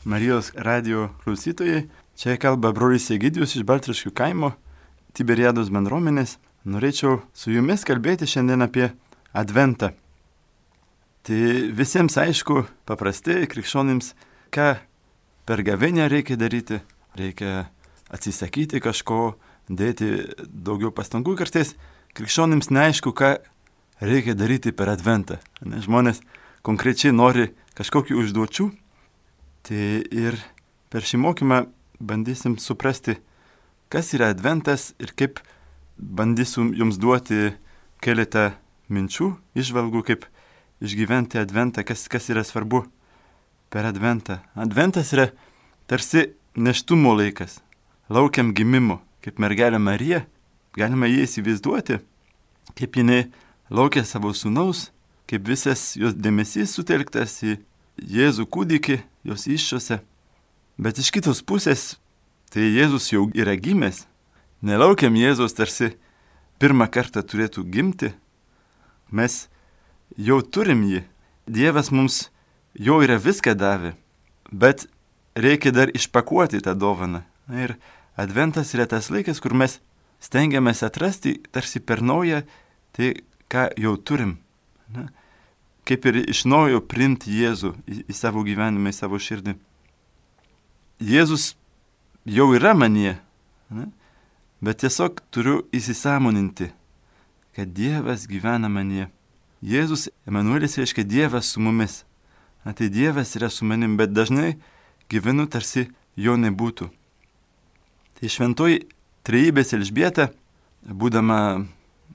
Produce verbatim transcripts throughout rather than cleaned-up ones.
Marijos radio klausytojai. Čia kalba brolis Egidijus iš Baltriškių kaimo, Tiberiados bendruomenės. Norėčiau su jumis kalbėti šiandien apie Adventą. Tai visiems aišku, paprastai krikščionims, ką per gavėnią reikia daryti. Reikia atsisakyti kažko, dėti daugiau pastangų. Kartais krikščionims neaišku, ką reikia daryti per Adventą. Ne, žmonės konkrečiai nori kažkokių užduočių. Tai ir per šį mokymą bandysim suprasti, kas yra Adventas ir kaip bandysim jums duoti keletą minčių, įžvalgų, kaip išgyventi Adventą, kas, kas yra svarbu per Adventą. Adventas yra tarsi neštumo laikas, laukiam gimimo, kaip mergelė Marija, galima jį įsivaizduoti, kaip jinai laukia savo sūnaus, kaip visas jos dėmesys sutelktas į Jėzų kūdikį, jos įsčiose. Bet iš kitos pusės, tai Jėzus jau yra gimęs. Nelaukiam Jėzus tarsi pirmą kartą turėtų gimti. Mes jau turim jį. Dievas mums jau yra viską davę. Bet reikia dar išpakuoti tą dovaną. Ir Adventas yra tas laikas, kur mes stengiamės atrasti tarsi per naują tai, ką jau turim. Na, kaip ir iš naujo priimti Jėzų į, į savo gyvenimą, į savo širdį. Jėzus jau yra manyje, ne? Bet tiesiog turiu įsisąmoninti, kad Dievas gyvena manyje. Jėzus, Emanuelis, reiškia Dievas su mumis. Na, tai Dievas yra su manim, bet dažnai gyvenu tarsi jo nebūtų. Tai šventoji trejybės Elžbieta, būdama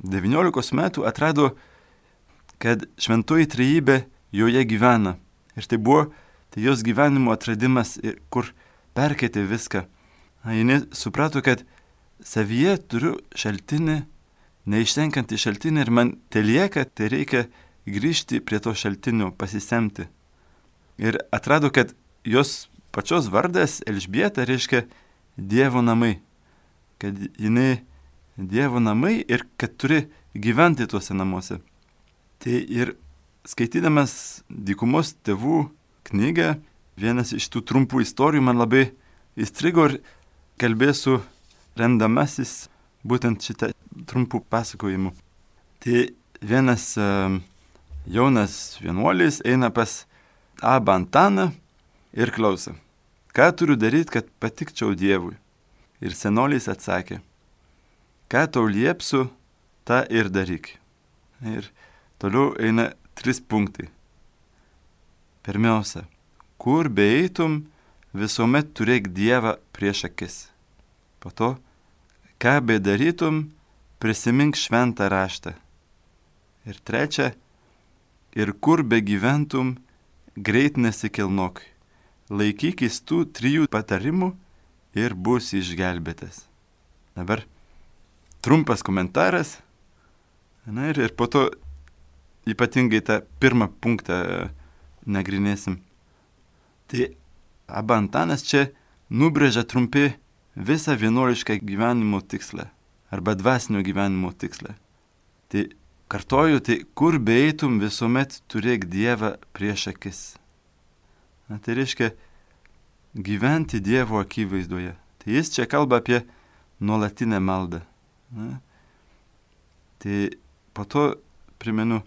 devyniolikos metų, atrado, kad šventoji trejybė joje gyvena. Ir tai buvo tai jos gyvenimo atradimas, kur perkeitė viską. Jis suprato, kad savyje turiu šaltinį, neištenkantį šaltinį ir man telieka, tai reikia grįžti prie to šaltinio, pasisemti. Ir atrado, kad jos pačios vardas Elžbieta reiškia Dievo namai. Kad jinai Dievo namai ir kad turi gyventi tuose namuose. Tai ir skaitydamas Dykumos tėvų knygą, vienas iš tų trumpų istorijų man labai įstrigo ir kalbėsiu remdamasis būtent šitą trumpų pasakojimų. Tai vienas uh, jaunas vienuolis eina pas Abą Antaną ir klausia, ką turiu daryti, kad patikčiau Dievui. Ir senolis atsakė, ką tau liepsiu, tą ir daryk. Ir toliau eina tris punktai. Pirmiausia, kur beeitum, visuomet turėk Dievą prieš akis. Po to, ką bedarytum, prisimink šventą raštą. Ir trečia, ir kur begyventum, greit nesikilnok. Laikykis tų trijų patarimų ir būsi išgelbėtas. Dabar trumpas komentaras. Na ir, ir po to ypatingai tą pirmą punktą nagrinėsim. Tai Abba Antanas čia nubrėžia trumpi visą vienuolišką gyvenimo tikslą arba dvasinio gyvenimo tikslą. Tai kartoju, tai kur beeitum, visuomet turėk Dievą prieš akis. Na, tai reiškia gyventi Dievo akivaizdoje. Tai jis čia kalba apie nuolatinę maldą. Na, tai po to primenu,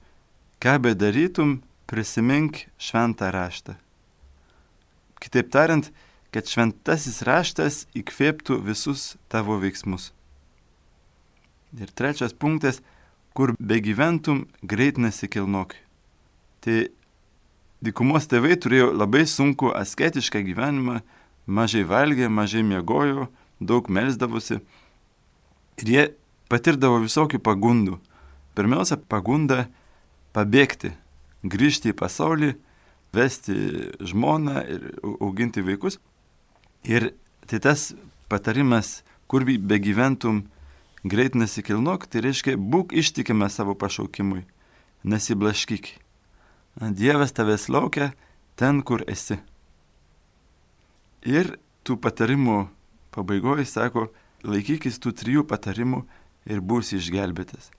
ką bedarytum, prisimink šventą raštą. Kitaip tariant, kad šventasis raštas įkvėptų visus tavo veiksmus. Ir trečias punktas, kur begyventum, greit nesikilnok. Tai Dykumos tėvai turėjo labai sunku asketišką gyvenimą, mažai valgė, mažai miegojo, daug melsdavosi. Ir jie patirdavo visokių pagundų. Pirmiausia, pagunda pabėgti, grįžti į pasaulį, vesti žmoną ir auginti vaikus. Ir tai tas patarimas, kur begyventum, greit nesikilnok, tai reiškia, būk ištikimas savo pašaukimui, nesiblaškyk. Dievas tavęs laukia ten, kur esi. Ir tų patarimų pabaigoje sako, laikykis tų trijų patarimų ir būsi išgelbėtas.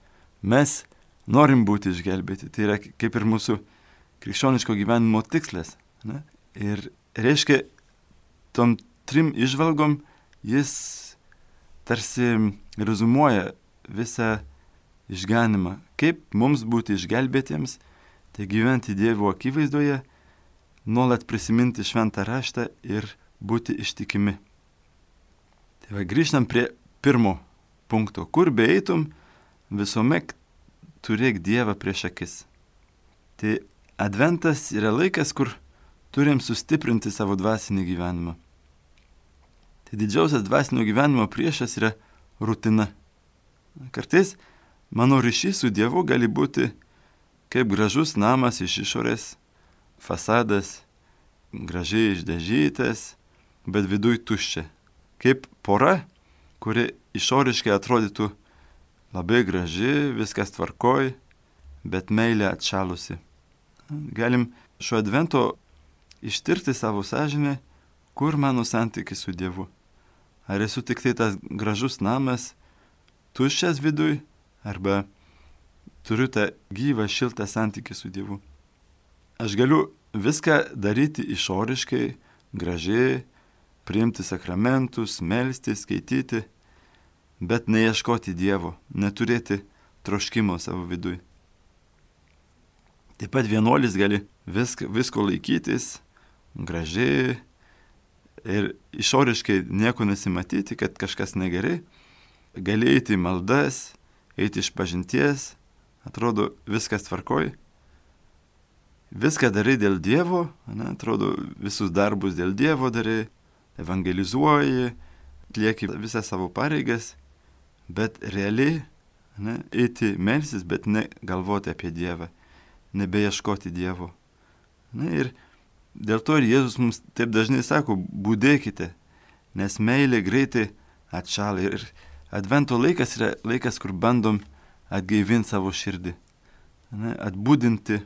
Mes norim būti išgelbėti. Tai yra kaip ir mūsų krikščioniško gyvenimo tikslas. Ne? Ir reiškia, tom trim išvalgom jis tarsi rezumuoja visą išganimą. Kaip mums būti išgelbėtiems, tai gyventi Dievo akivaizdoje, nuolat prisiminti šventą raštą ir būti ištikimi. Tai va, grįžtam prie pirmo punkto. Kur beeitum, visuomet turėk Dievą prieš akis. Tai adventas yra laikas, kur turim sustiprinti savo dvasinį gyvenimą. Tai didžiausias dvasinio gyvenimo priešas yra rutina. Kartais mano ryšys su Dievu gali būti kaip gražus namas iš išorės, fasadas, gražiai išdažytas, bet viduj tuščia. Kaip pora, kuri išoriškai atrodytų labai graži, viskas tvarkoj, bet meilė atšalusi. Galim šio advento ištirti savo sąžinę, kur mano santykis su Dievu. Ar esu tik tai tas gražus namas, tuščias viduj, arba turiu tą gyvą, šiltą santykį su Dievu. Aš galiu viską daryti išoriškai, gražiai, priimti sakramentus, melstis, skaityti, bet neieškoti Dievo, neturėti troškimo savo viduj. Taip pat vienuolis gali visk, visko laikytis, gražiai ir išoriškai nieko nesimatyti, kad kažkas negerai. Gali eiti į maldas, eiti iš pažinties, atrodo viskas tvarkoj. Viską darai dėl Dievo, ne, atrodo visus darbus dėl Dievo darai, evangelizuoji, atlieki visą savo pareigas, bet realiai ne, eiti melsis, bet ne galvoti apie Dievą, nebeieškoti Dievo. Ne, ir dėl to ir Jėzus mums taip dažnai sako, būdėkite, nes meilė greitai atšala. Ir advento laikas yra laikas, kur bandom atgaivinti savo širdį, ne, atbūdinti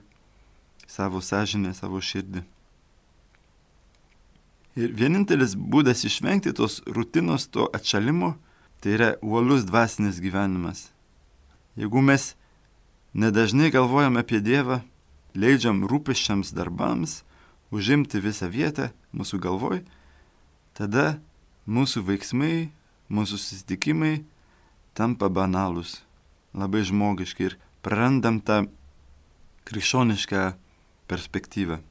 savo sąžinę, savo širdį. Ir vienintelis būdas išvengti tos rutinos, to atšalimo, tai yra uolus dvasinis gyvenimas. Jeigu mes nedažnai galvojam apie Dievą, leidžiam rūpesčiams darbams, užimti visą vietą mūsų galvoj, tada mūsų veiksmai, mūsų susitikimai tampa banalūs, labai žmogiški ir prarandam tą krikščionišką perspektyvą.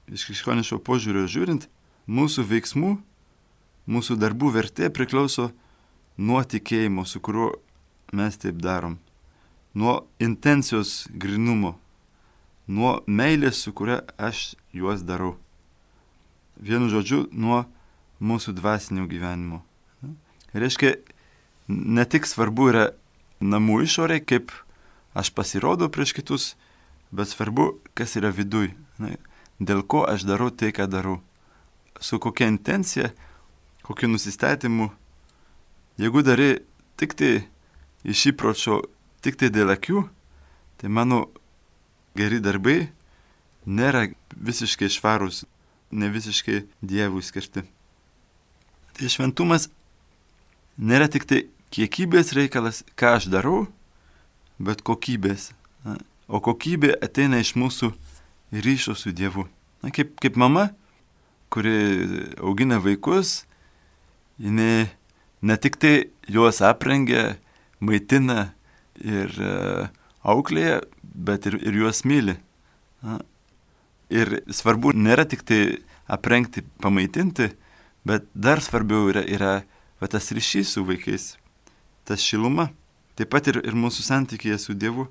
Iš krikščioniško požiūrio žiūrint, mūsų veiksmų, mūsų darbų vertė priklauso nuo tikėjimo, su kuriuo mes taip darom, nuo intencijos grynumo, nuo meilės, su kuria aš juos darau. Vienu žodžiu, nuo mūsų dvasinio gyvenimo. Reiškia, ne tik svarbu yra namų išorė, kaip aš pasirodau prieš kitus, bet svarbu, kas yra viduj. Dėl ko aš darau tai, ką darau. Su kokia intencija, kokiu nusistatymu. Jeigu darai tik tai iš įpročio, tik tai dėl akių, tai mano geri darbai nėra visiškai švarūs, ne visiškai Dievui skirti. Tai šventumas nėra tik tai kiekybės reikalas, ką aš darau, bet kokybės. O kokybė ateina iš mūsų ryšio su Dievu. Na, kaip, kaip mama, kuri augina vaikus, jinai ne tik tai juos aprengia, maitina ir uh, auklėja, bet ir, ir juos myli. Na, ir svarbu nėra tik tai aprengti, pamaitinti, bet dar svarbiau yra, yra va, tas ryšys su vaikais, tas šiluma. Taip pat ir, ir mūsų santykėje su Dievu.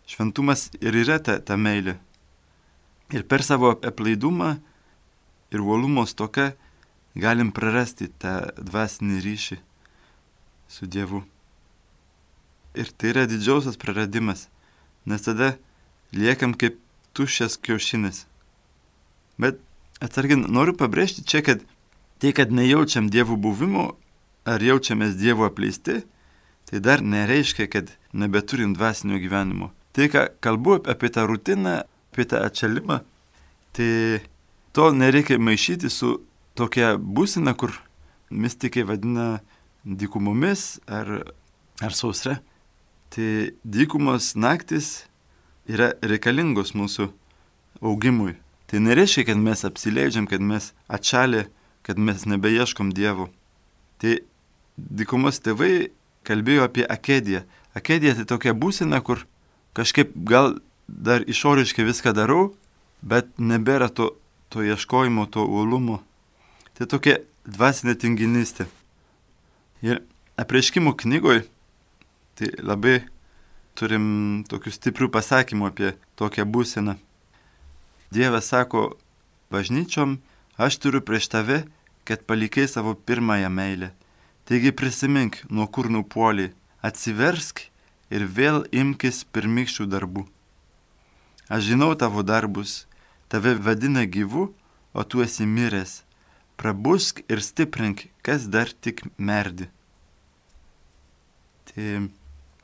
Šventumas ir yra ta, ta meilė. Ir per savo aplaidumą ir uolumo stoką galim prarasti tą dvasinį ryšį su Dievu. Ir tai yra didžiausias praradimas, nes tada liekam kaip tuščias kiaušinis. Bet atsargiai noriu pabrėžti čia, kad tai, kad nejaučiam Dievo buvimo ar jaučiamės Dievo apleisti, tai dar nereiškia, kad nebeturim dvasinio gyvenimo. Tai, ką kalbu apie tą rutiną, apie tą atšalimą, tai to nereikia maišyti su tokia būsena, kur mistikai vadina dykumomis ar, ar sausra. Tai dykumos naktis yra reikalingos mūsų augimui. Tai Tai nereiškia, kad mes apsileidžiam, kad mes atšalė, kad mes nebeieškom Dievo. Tai dykumos tėvai kalbėjo apie akediją. Akedija tai tokia būsena, kur kažkaip gal dar išoriškai viską darau, bet nebėra to, to ieškojimo, to uolumo. Tai tokia dvasinė tinginystė. Ir Apreiškimų knygoje tai labai turim tokių stiprių pasakymų apie tokią būseną. Dievas sako bažnyčiom, aš turiu prieš tave, kad palikai savo pirmąją meilę. Taigi prisimink, nuo kur nupuolį, atsiversk ir vėl imkis pirmykščių darbų. Aš žinau tavo darbus, tave vadina gyvu, o tu esi miręs. Prabusk ir stiprink, kas dar tik merdi. Tai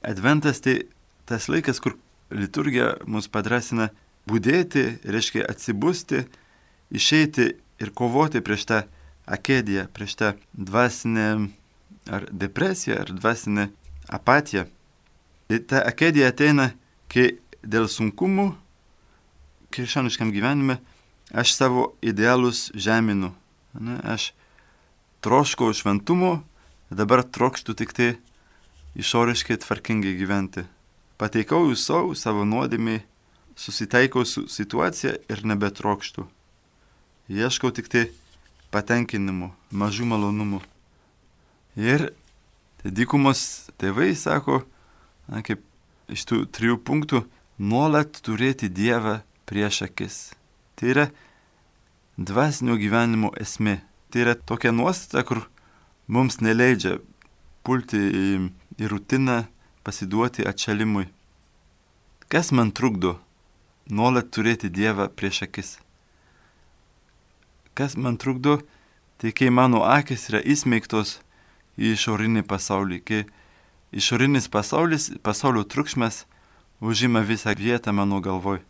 Adventas tai tas laikas, kur liturgija mus padrasina budėti, reiškia atsibusti, išeiti ir kovoti prieš tą akediją, prieš tą dvasinę ar depresiją, ar dvasinę apatiją. Tai ta akedija ateina, kai dėl sunkumų krikščioniškam gyvenime aš savo idealus žeminu. Ne, aš troškau šventumo, dabar trokštų tik tai išoriškai tvarkingai gyventi. Pateikau jų savo, savo nuodėmiai, susitaikau su situacija ir nebetrokštų. Ieškau tik tai patenkinimų, mažų malonumų. Ir tai dykumos tėvai sako, na, kaip iš tų trijų punktų, nuolat turėti Dievą prieš akis. Tai yra dvasinio gyvenimo esmė. Tai yra tokia nuostata, kur mums neleidžia pulti į, į rutiną, pasiduoti atšalimui. Kas man trukdo nuolat turėti Dievą prieš akis? Kas man trukdo, tai kai mano akis yra įsmeigtos į išorinį pasaulį, kai išorinis pasaulis, pasaulio triukšmas užima visą vietą mano galvoj.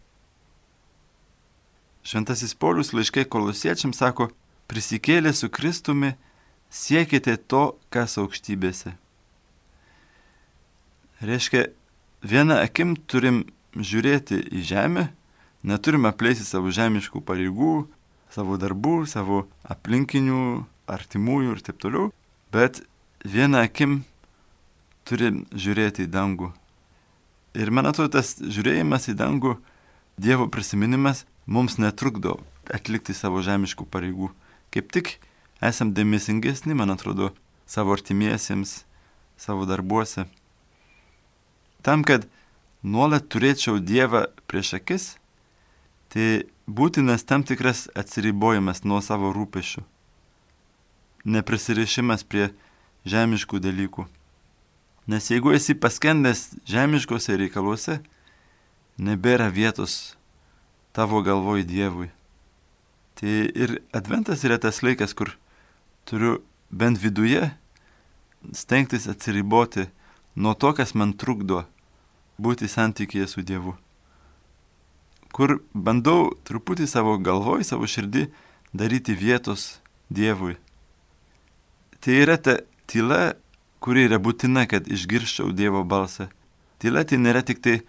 Šventasis Paulius laiškai Kolosiečiams sako, prisikėlę su Kristumi, siekite to, kas aukštybėse. Reiškia, vieną akim turim žiūrėti į žemę, neturim apleisti savo žemiškų pareigų, savo darbų, savo aplinkinių, artimųjų ir taip toliau, bet vieną akim turim žiūrėti į dangų. Ir man atrodo, tas žiūrėjimas į dangų, Dievo prisiminimas mums netrukdo atlikti savo žemiškų pareigų. Kaip tik esam dėmesingesni, man atrodo, savo artimiesiems, savo darbuose. Tam, kad nuolat turėčiau Dievą prieš akis, tai būtinas tam tikras atsiribojimas nuo savo rūpesčių. Neprisirišimas prie žemiškų dalykų. Nes jeigu esi paskendęs žemiškose reikaluose, nebėra vietos tavo galvoj Dievui. Tai ir Adventas yra tas laikas, kur turiu bent viduje stengtis atsiriboti nuo to, kas man trukdo būti santykyje su Dievu. Kur bandau truputį savo galvoj, savo širdį daryti vietos Dievui. Tai yra ta tyla, kuri yra būtina, kad išgirščiau Dievo balsą. Tyla tai nėra tik tai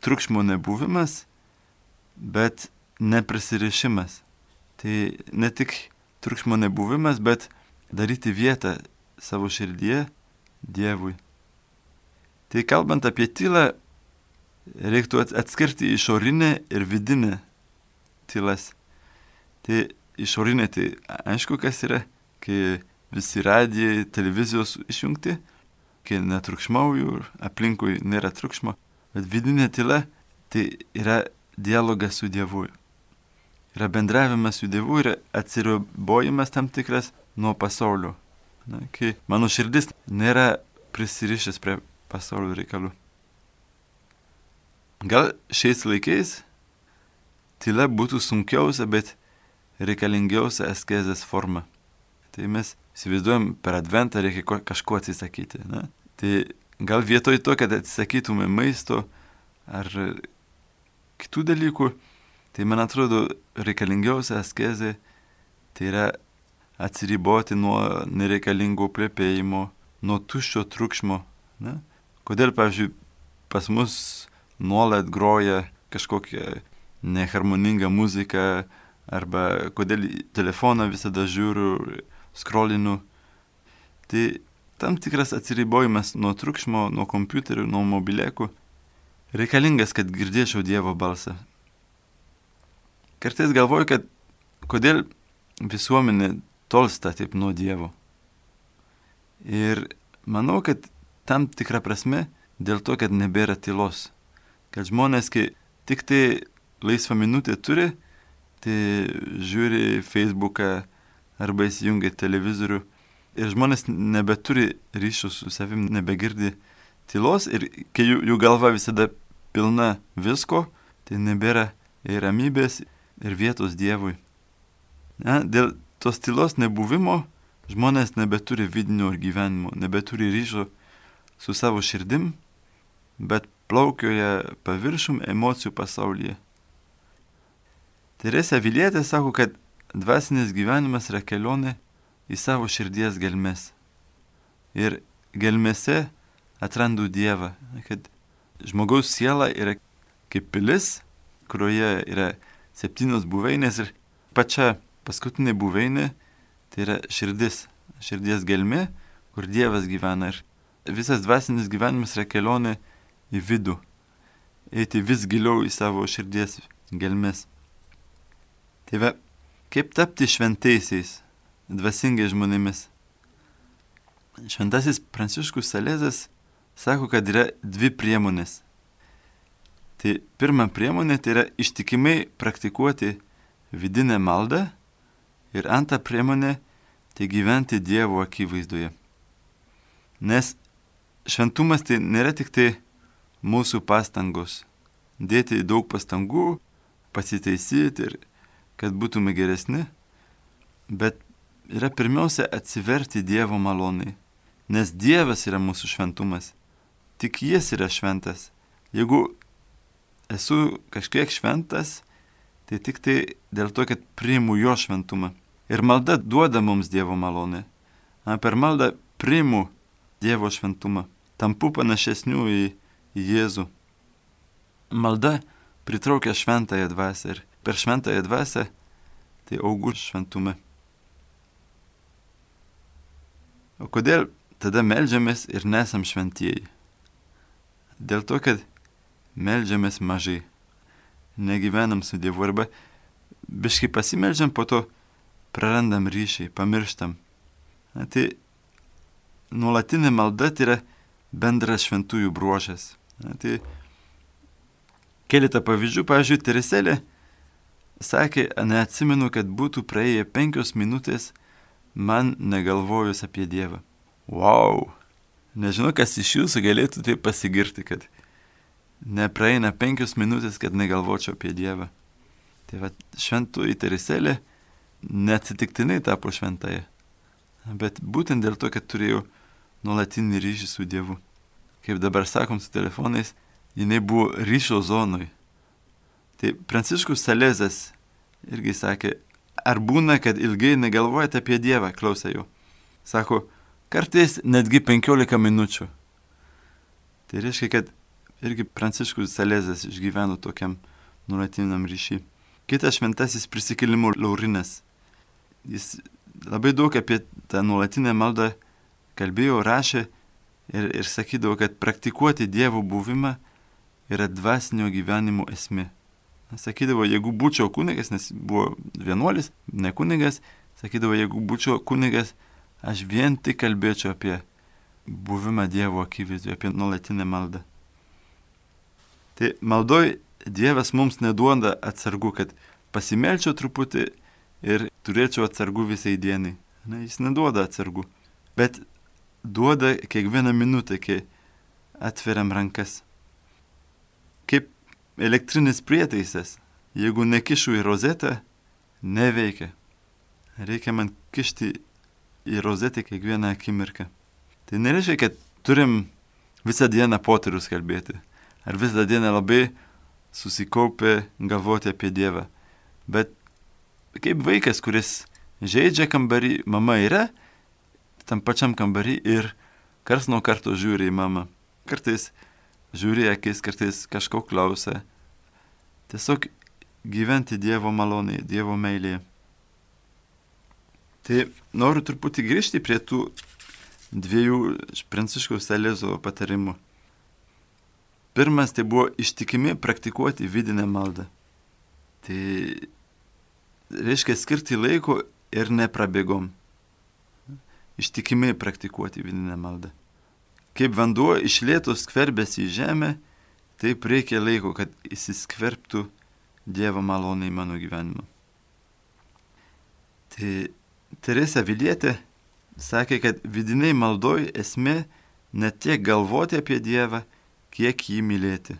triukšmo nebuvimas, bet neprisirišimas. Tai ne tik triukšmo nebuvimas, bet daryti vietą savo širdyje Dievui. Tai kalbant apie tylą, reiktų atskirti išorinę ir vidinę tylas. Tai išorinė tai aišku, kas yra, kai visi radijai, televizijos išjungti, kai netriukšmauju, aplinkui nėra triukšmo. Bet vidinė tyla tai yra dialogas su Dievu. Yra bendravimas su Dievu ir atsiribojimas tam tikras nuo pasaulio. Na, kai mano širdis nėra prisirišęs prie pasaulio reikalų. Gal šiais laikais tyla būtų sunkiausia, bet reikalingiausia askezės forma. Tai mes įsivaizduojam, per Adventą reikia kažko atsisakyti. Na? Tai gal vietoj to, kad atsisakytume maisto ar kitų dalykų, tai man atrodo reikalingiausia askezė tai yra atsiriboti nuo nereikalingo plepėjimo, nuo tuščio triukšmo. Ne? Kodėl, pavyzdžiui, pas mus nuolat groja kažkokie neharmoningą muziką, arba kodėl į telefoną visada žiūriu, scrollinu. Tai tam tikras atsiribojimas nuo triukšmo, nuo kompiuterių, nuo mobilėkų reikalingas, kad girdėčiau Dievo balsą. Kartais galvoju, kad kodėl visuomenė tolsta taip nuo Dievo. Ir manau, kad tam tikra prasme dėl to, kad nebėra tylos. Kad žmonės, kai tik tai laisvą minutę turi, tai žiūri Facebooką arba įsijungia televizorių. Ir žmonės nebeturi ryšių su savim, nebegirdi tylos ir kai jų, jų galva visada pilna visko, tai nebėra ir ramybės, ir vietos Dievui. Na, dėl tos tylos nebuvimo žmonės nebeturi vidinio gyvenimo, nebeturi ryšio su savo širdim, bet plaukioja paviršum emocijų pasaulyje. Teresė Avilietė sako, kad dvasinis gyvenimas yra kelionė į savo širdies gelmes. Ir gelmėse atrandu Dievą, kad žmogaus siela yra kaip pilis, kurioje yra septynios buveinės ir pačia paskutinė buveinė tai yra širdis, širdies gelmė, kur Dievas gyvena. Ir visas dvasinis gyvenimas yra kelionė į vidų, eiti vis giliau į savo širdies gelmes. Tai va, kaip tapti šventaisiais, dvasingai žmonėmis. Šventasis Pranciškus Salezas sako, kad yra dvi priemonės. Tai pirma priemonė tai yra ištikimai praktikuoti vidinę maldą ir antra priemonė tai gyventi Dievo akivaizdoje. Nes šventumas tai nėra tik tai mūsų pastangos. Dėti daug pastangų, pasitaisyti ir kad būtume geresni, bet yra pirmiausia atsiverti Dievo malonai, nes Dievas yra mūsų šventumas. Tik Jis yra šventas. Jeigu esu kažkiek šventas, tai tik tai dėl to, kad priimu Jo šventumą. Ir malda duoda mums Dievo malonę. Per maldą priimu Dievo šventumą. Tampu panašesniu į, į Jėzų. Malda pritraukia šventąją dvasią ir per šventąją dvasią tai augu šventumą. O kodėl tada meldžiamės ir nesam šventieji? Dėl to, kad meldžiamės mažai. Negyvenam su Dievu arba biškai pasimeldžiam, po to prarandam ryšį, pamirštam. Na, tai nuolatinė malda tai yra bendras šventųjų bruožas. Na, tai keletą pavyzdžių, pavyzdžiui, Teresėlė sakė, neatsimenu, kad būtų praėję penkios minutės man negalvojus apie Dievą. Wow! Nežinau, kas iš jūsų galėtų taip pasigirti, kad nepraeina penkios minutės, kad negalvočiau apie Dievą. Tai va, šventoji Teresėlė neatsitiktinai tapo šventąja, bet būtent dėl to, kad turėjau nuolatinį ryšį su Dievu. Kaip dabar sakom su telefonais, jinai buvo ryšio zonoj. Tai Pranciškus Salezas irgi sakė, ar būna, kad ilgai negalvojate apie Dievą, klausė jo. Sako, kartais netgi penkiolika minučių. Tai reiškia, kad irgi Pranciškus Salezas išgyveno tokiam nuolatiniam ryšį. Kitas šventasis Prisikėlimo Laurinas. Jis labai daug apie tą nuolatinę maldą kalbėjo, rašė ir, ir sakydavo, kad praktikuoti Dievo buvimą yra dvasinio gyvenimo esmė. Sakydavo, jeigu būčiau kunigas, nes buvo vienuolis, ne kunigas, sakydavo, jeigu būčiau kunigas, aš vien tik kalbėčiau apie buvimą Dievo akivaizdoje, apie nuolatinę maldą. Tai maldoj Dievas mums neduoda atsargų, kad pasimelčiau truputį ir turėčiau atsargų visai dienai. Ne, jis neduoda atsargų, bet duoda kiekvieną minutę, kai atveriam rankas. Kaip elektrinis prietaisas, jeigu nekišu į rozetę, neveikia. Reikia man kišti į rozetę kiekvieną akimirką. Tai nereiškia, kad turim visą dieną poterius kalbėti, ar visą dieną labai susikaupę galvoti apie Dievą. Bet kaip vaikas, kuris žaidžia kambarį, mama yra tam pačiam kambarį ir kars nuo karto žiūri į mamą. Kartais žiūri akis, kartais kažko klausia. Tiesiog gyventi Dievo malonėje, Dievo meilėje. Tai noriu truputį grįžti prie tų dviejų Pranciškaus Salezo patarimų. Pirmas tai buvo ištikimi praktikuoti vidinę maldą. Tai reiškia skirti laiko ir neprabėgom. Ištikimi praktikuoti vidinę maldą. Kaip vanduo iš lėto skverbėsi į žemę, taip reikia laiko, kad įsiskverbtų Dievo malonė į mano gyvenimą. Tai Teresė Avilietė sakė, kad vidiniai maldoj esmė ne tiek galvoti apie Dievą, kiek jį mylėti.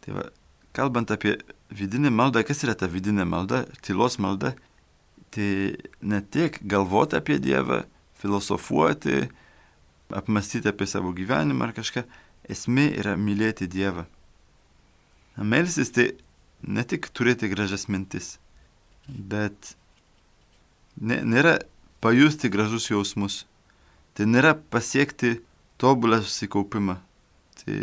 Tai va, kalbant apie vidinę maldą, kas yra ta vidinė malda, tylos malda, tai ne tiek galvoti apie Dievą, filosofuoti, apmastyti apie savo gyvenimą ar kažką, esmė yra mylėti Dievą. Melstis tai ne tik turėti gražias mintis, bet ne, nėra pajusti gražus jausmus, tai nėra pasiekti tobulą susikaupimą. Tai,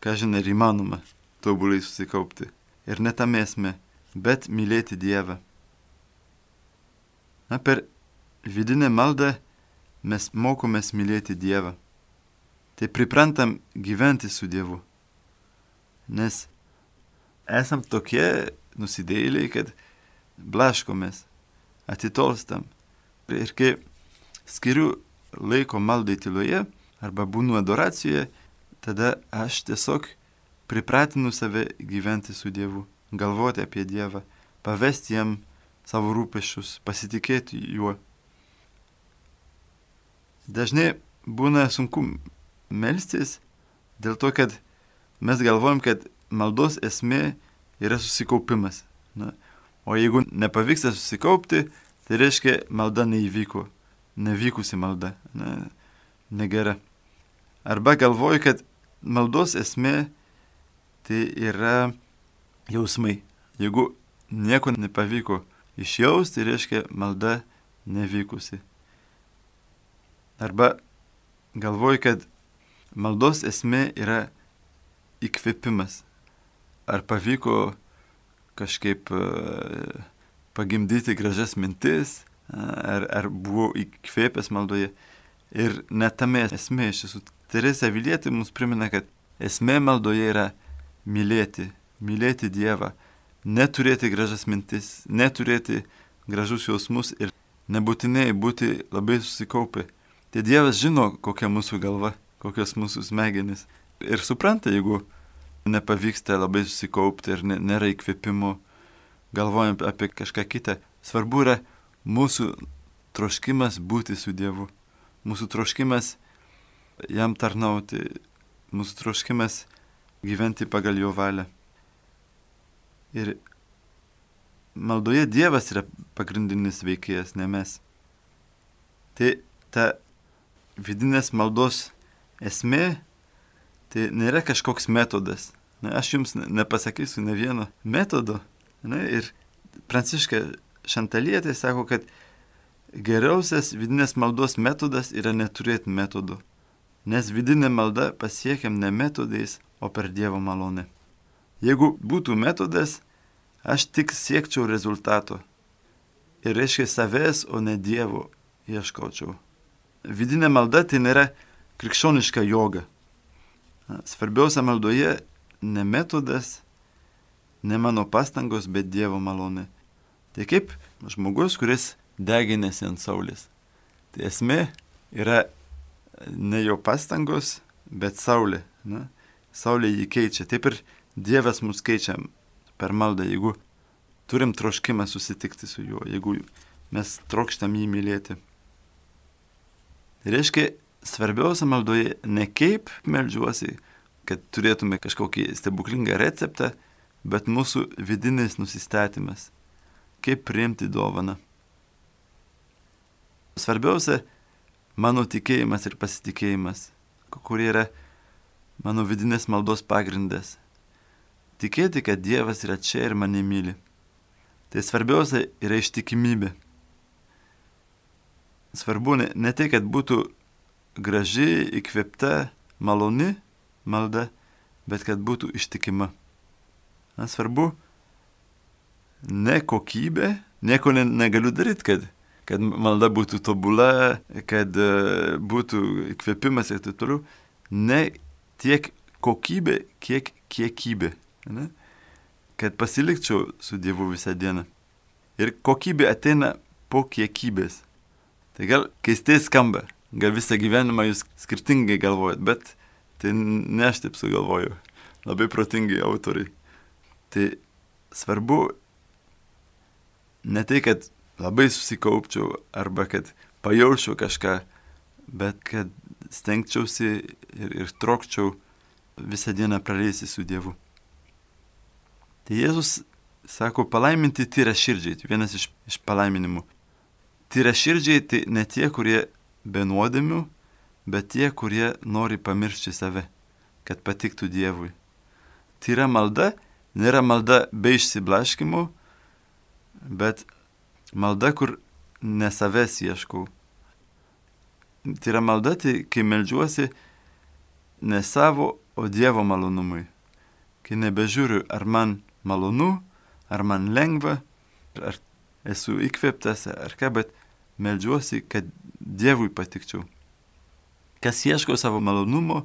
ką žinai, ir įmanoma tobulai susikaupti. Ir ne tam esmė, bet mylėti Dievą. Na, per vidinę maldą mes mokomės mylėti Dievą. Tai priprantam gyventi su Dievu. Nes esam tokie nusidėjėliai, kad blaškomės, atitolstam. Ir kai skiriu laiko maldai tyloje arba būnu adoracijoje, tada aš tiesiog pripratinu save gyventi su Dievu, galvoti apie Dievą, pavesti jam savo rūpesčius, pasitikėti juo. Dažnai būna sunku melstis dėl to, kad mes galvojam, kad maldos esmė yra susikaupimas. Na, o jeigu nepavyksta susikaupti, tai reiškia malda neįvyko, nevykusi malda, na, negera. Arba galvoju, kad maldos esmė tai yra jausmai. Jeigu nieko nepavyko išjausti, tai reiškia malda nevykusi. Arba galvoju, kad maldos esmė yra įkvėpimas. Ar pavyko kažkaip uh, pagimdyti gražias mintis, ar, ar buvau įkvėpęs maldoje. Ir net tame esmė iš tiesų. Teresė Avilietė mums primena, kad esmė maldoje yra mylėti, mylėti Dievą, neturėti gražias mintis, neturėti gražus jausmus ir nebūtinai būti labai susikaupę. Tai Dievas žino, kokia mūsų galva, kokios mūsų smegenys. Ir supranta, jeigu nepavyksta labai susikaupti ir nėra įkvėpimo, galvojant apie kažką kitą. Svarbu yra mūsų troškimas būti su Dievu, mūsų troškimas jam tarnauti, mūsų troškimas gyventi pagal jo valią. Ir maldoje Dievas yra pagrindinis veikėjas, ne mes. Tai ta vidinės maldos esmė, tai nėra kažkoks metodas. Na, aš jums nepasakysiu ne vieno metodo. Na, ir Pranciška Šantalietė sako, kad geriausias vidinės maldos metodas yra neturėti metodo. Nes vidinė malda pasiekiam ne metodais, o per Dievo malonę. Jeigu būtų metodas, aš tik siekčiau rezultato. Ir reiškia savęs, o ne Dievo ieškočiau. Vidinė malda tai nėra krikščioniška joga. Svarbiausia maldoje ne metodas, ne mano pastangos, bet Dievo malonė. Tai kaip žmogus, kuris deginėsi ant saulės. Tai esmė yra ne jo pastangos, bet saulė. Na? Saulė jį keičia. Taip ir Dievas mus keičia per maldą, jeigu turim troškimą susitikti su juo, jeigu mes trokštam jį mylėti. Tai reiškia, svarbiausia maldoje ne kaip meldžiuosi, kad turėtume kažkokį stebuklingą receptą, bet mūsų vidinis nusistatymas, kaip priimti dovaną. Svarbiausia mano tikėjimas ir pasitikėjimas, kurie yra mano vidinės maldos pagrindas. Tikėti, kad Dievas yra čia ir mane myli. Tai svarbiausia yra ištikimybė. Svarbu ne, ne tai, kad būtų graži, įkvėpta, maloni malda, bet kad būtų ištikima. Na, svarbu ne kokybė, nieko ne, negaliu daryti, kad, kad malda būtų tobula, kad uh, būtų įkvėpimas ir taip toliau. Ne tiek kokybė, kiek kiekybė. Ne? Kad pasilikčiau su Dievu visą dieną. Ir kokybė ateina po kiekybės. Tai gal keistai skamba, gal visą gyvenimą jūs skirtingai galvojat, bet tai ne aš taip sugalvoju. Labai protingi autoriai. Tai svarbu ne tai, kad labai susikaupčiau arba kad pajaučiau kažką, bet kad stengčiausi ir, ir trokčiau visą dieną praleisti su Dievu. Tai Jėzus sako, palaiminti tyra širdžiai, tai vienas iš, iš palaiminimų. Tyra širdžiai tai ne tie, kurie be nuodėmių, bet tie, kurie nori pamiršti save, kad patiktų Dievui. Tyra malda nėra malda be išsiblaškimų, bet malda, kur ne savęs ieškau. Tyra malda, tai kai meldžiuosi ne savo, o Dievo malonumui. Kai nebežiūriu, ar man malonu, ar man lengva, ar esu įkvėptas, ar ką, bet meldžiuosi, kad Dievui patikčiau. Kas ieško savo malonumo,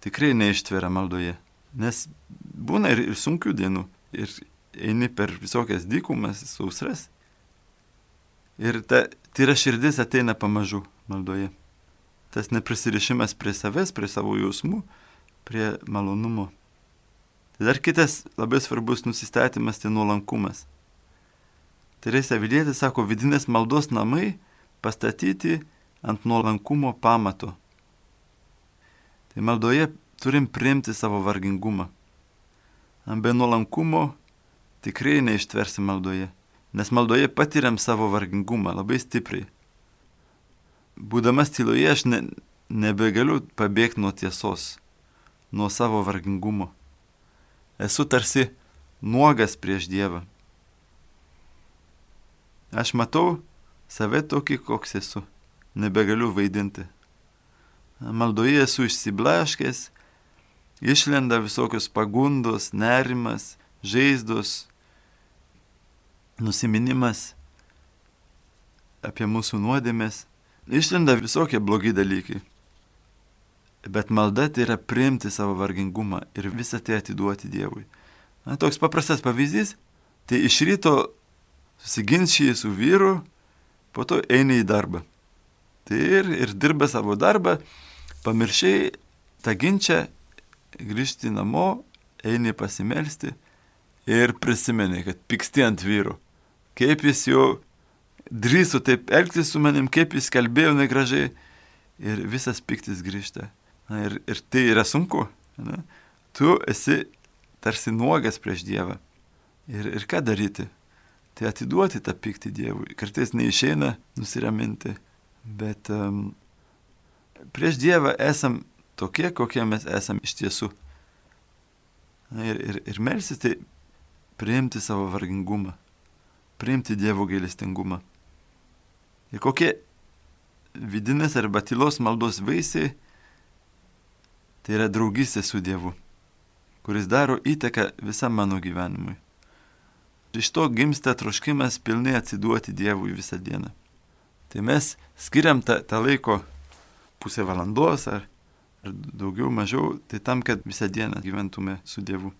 tikrai neištveria maldoje. Nes būna ir, ir sunkių dienų, ir eini per visokias dykumas, sausras. Ir ta tyra širdis ateina pamažu maldoje. Tas neprisirišimas prie savęs, prie savo jausmų, prie malonumo. Tai dar kitas labai svarbus nusistatymas, tai nuolankumas. Teresė Avilietė sako, vidinės maldos namai pastatyti ant nuolankumo pamato. Tai maldoje turim priimti savo vargingumą. Be nuolankumo tikrai neištversi maldoje, nes maldoje patiriam savo vargingumą labai stipriai. Būdamas tyloje aš ne, nebegaliu pabėgti nuo tiesos, nuo savo vargingumo. Esu tarsi nuogas prieš Dievą. Aš matau save tokį, koks esu. Nebegaliu vaidinti. Maldoje esu išsiblaškęs, išlenda visokios pagundos, nerimas, žaizdos, nusiminimas apie mūsų nuodėmės. Išlenda visokie blogi dalykai. Bet malda tai yra priimti savo vargingumą ir visą tai atiduoti Dievui. Na, toks paprastas pavyzdys, tai iš ryto susiginčiai su vyru, po to eini į darbą. Tai ir, ir dirba savo darbą, pamiršiai tą ginčą, grįžti namo, eini pasimelsti ir prisimeni, kad pyksti ant vyro. Kaip jis jau drįso taip elgtis su manim, kaip jis kalbėjo negražiai ir visas pyktis grįžta. Na, ir, ir tai yra sunku. Ne? Tu esi tarsi nuogas prieš Dievą. Ir, ir ką daryti? Tai atiduoti tą pyktį Dievui. Kartais neišeina nusiraminti, bet um, prieš Dievą esam tokie, kokie mes esam iš tiesų. Na, ir, ir, ir melsis tai priimti savo vargingumą, priimti Dievo gailestingumą. Ir kokie vidinės arba tylos maldos vaisiai, tai yra draugystė su Dievu, kuris daro įtaką visam mano gyvenimui. Iš to gimsta troškimas pilnai atsiduoti Dievui visą dieną. Tai mes skiriam tą, tą laiko pusę valandos ar, ar daugiau mažiau, tai tam, kad visą dieną gyventume su Dievu.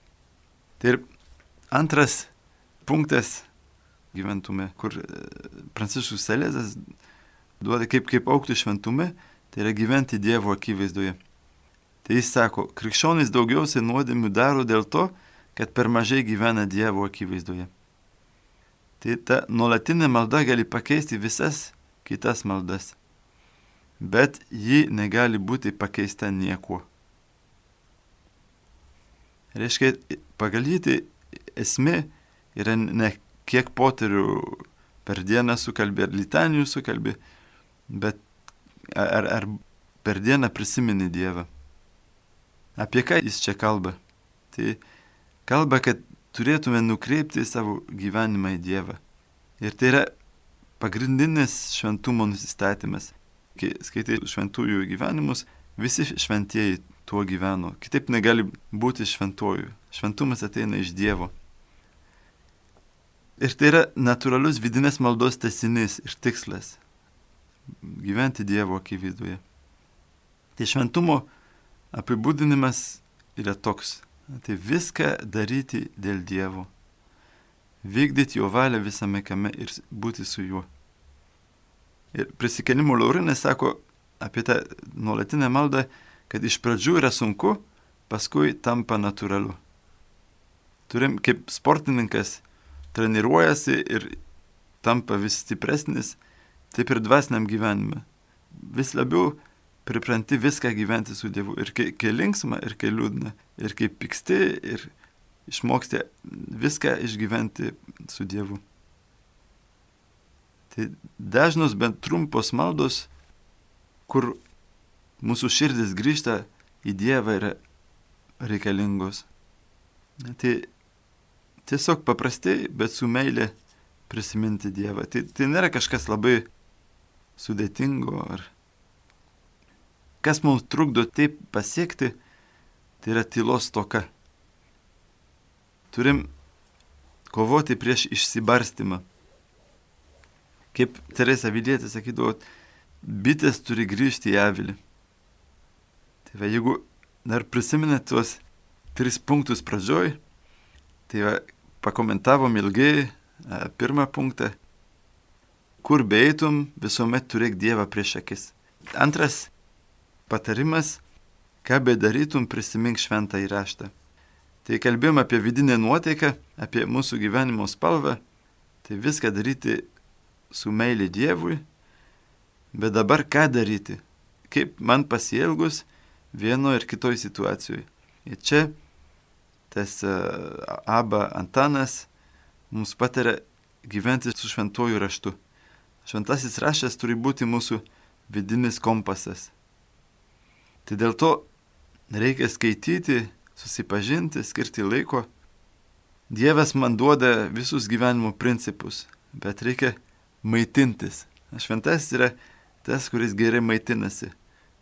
Tai ir antras punktas gyventume, kur Pranciškus Salezas duoda kaip, kaip aukti šventume, tai yra gyventi Dievo akivaizdoje. Tai jis sako, krikščionys daugiausiai nuodėmių daro dėl to, kad per mažai gyvena Dievo akivaizdoje. Tai ta nuolatinė malda gali pakeisti visas kitas maldas, bet ji negali būti pakeista niekuo. Reiškia, pagal jį tai esmė yra ne kiek poterių per dieną sukalbė, ar litanijų sukalbė, bet ar, ar per dieną prisimeni Dievą. Apie ką jis čia kalba? Tai kalba, kad turėtume nukreipti savo gyvenimą į Dievą. Ir tai yra pagrindinis šventumo nusistatymas. Kai skaitai šventųjų gyvenimus, visi šventieji tuo gyveno. Kitaip negali būti šventojų. Šventumas ateina iš Dievo. Ir tai yra natūralus vidinės maldos tęsinys ir tikslas - gyventi Dievo akivaizdoje. Tai šventumo apibūdinimas yra toks. Tai viską daryti dėl Dievo. Vykdyti jo valią visame kame ir būti su juo. Ir prisikėlimo Laurinai sako apie tą nuolatinę maldą, kad iš pradžių yra sunku, paskui tampa natūralu. Turim kaip sportininkas treniruojasi ir tampa vis stipresnis, taip ir dvasiniam gyvenime. Vis labiau pripranti viską gyventi su Dievu. Ir kai, kai linksma, ir kai liūdna. Ir kai pyksti, ir išmoksti viską išgyventi su Dievu. Tai dažnos bent trumpos maldos, kur mūsų širdis grįžta į Dievą, yra reikalingos. Tai tiesiog paprastai, bet su meilė prisiminti Dievą. Tai, tai nėra kažkas labai sudėtingo. Ar kas mums trukdo taip pasiekti, tai yra tylos stoka. Turim kovoti prieš išsibarstymą. Kaip Teresa Avilietė sakydavo, bitės turi grįžti į avilį. Tai va, jeigu dar prisiminėt tuos tris punktus pradžioj, tai va, pakomentavom ilgai a, pirmą punktą. Kur beeitum, visuomet turėk Dievą prieš akis. Antras patarimas, ką bedarytum, prisimink šventąjį raštą. Tai kalbėjom apie vidinę nuotaiką, apie mūsų gyvenimo spalvą, tai viską daryti su meilė Dievui, bet dabar ką daryti, kaip man pasielgus vieno ir kitoj situacijoje. Ir čia tas uh, Aba Antanas mums pataria gyventi su šventuoju raštu. Šventasis raštas turi būti mūsų vidinis kompasas. Tai dėl to reikia skaityti, susipažinti, skirti laiko. Dievas man duoda visus gyvenimo principus, bet reikia maitintis. Šventasis yra tas, kuris gerai maitinasi.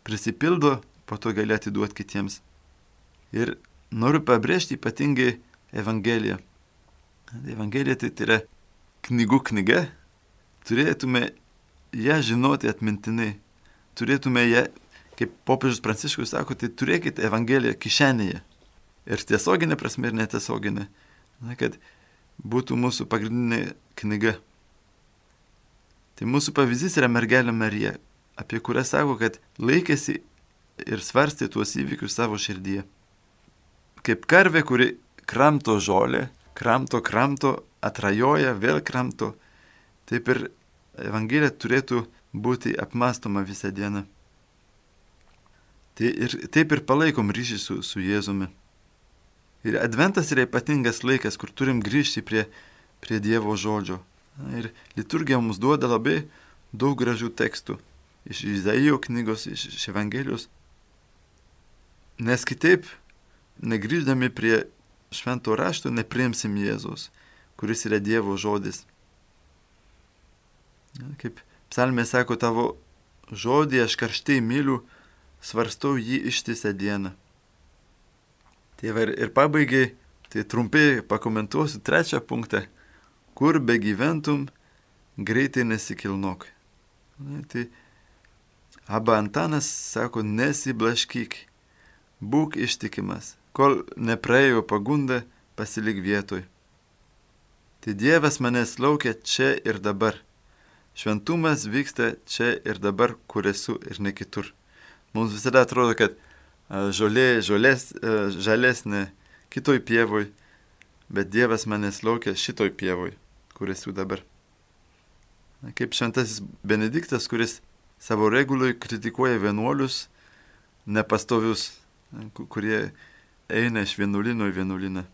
Prisipildo, po to gali atiduoti kitiems. Ir noriu pabrėžti ypatingai Evangeliją. Evangelija tai yra knygų knyga. Turėtume ją žinoti atmintinai. Turėtume ją, kaip popiežius Pranciškus sako, tai turėkite Evangeliją kišenėje. Ir tiesioginė prasme, ir netiesioginė. Na, kad būtų mūsų pagrindinė knyga. Tai mūsų pavyzdys yra mergelė Marija, apie kurią sako, kad laikėsi ir svarstė tuos įvykius savo širdyje. Kaip karvė, kuri kramto žolę, kramto, kramto, atrajoja, vėl kramto, taip ir Evangelija turėtų būti apmąstoma visą dieną. Tai ir, taip ir palaikom ryšį su, su Jėzumi. Ir Adventas yra ypatingas laikas, kur turim grįžti prie, prie Dievo žodžio. Ir liturgija mums duoda labai daug gražių tekstų. Iš Izaijo knygos, iš, iš Evangelijos. Nes kitaip, negrįždami prie švento rašto, nepriimsim Jėzaus, kuris yra Dievo žodis. Kaip psalmė sako, tavo žodį aš karštai myliu, svarstau jį ištisą dieną. Tai ir, ir pabaigai, tai trumpai pakomentuosiu trečią punktą. Kur begyventum, greitai nesikilnok. Tai Aba Antanas sako, nesiblaškyk, būk ištikimas, kol nepraėjo pagunda, pasilik vietoj. Tai Dievas manęs laukia čia ir dabar. Šventumas vyksta čia ir dabar, kur esu ir ne kitur. Mums visada atrodo, kad žolė, žolės, žalesnė kitoj pievoj, bet Dievas manęs laukia šitoj pievoj, kur esu dabar. Kaip šventasis Benediktas, kuris savo reguloj kritikuoja vienuolius nepastovius, kurie eina iš vienuolino į vienuoliną.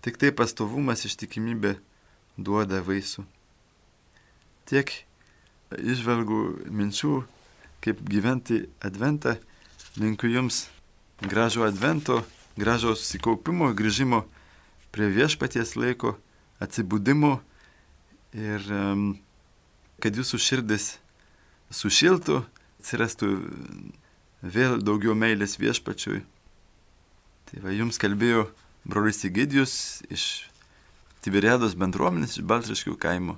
Tik tai pastovumas, ištikimybė duoda vaisių. Tiek išvelgų minčių, kaip gyventi Adventą. Linkiu jums gražo Advento, gražo susikaupimo, grįžimo prie viešpaties laiko, atsibudimo ir um, kad jūsų širdis sušiltų, atsirastų vėl daugiau meilės viešpačiui. Tai va, jums kalbėjo brolis Egidijus iš Tiberiados bendruomenės iš Baltriškių kaimo.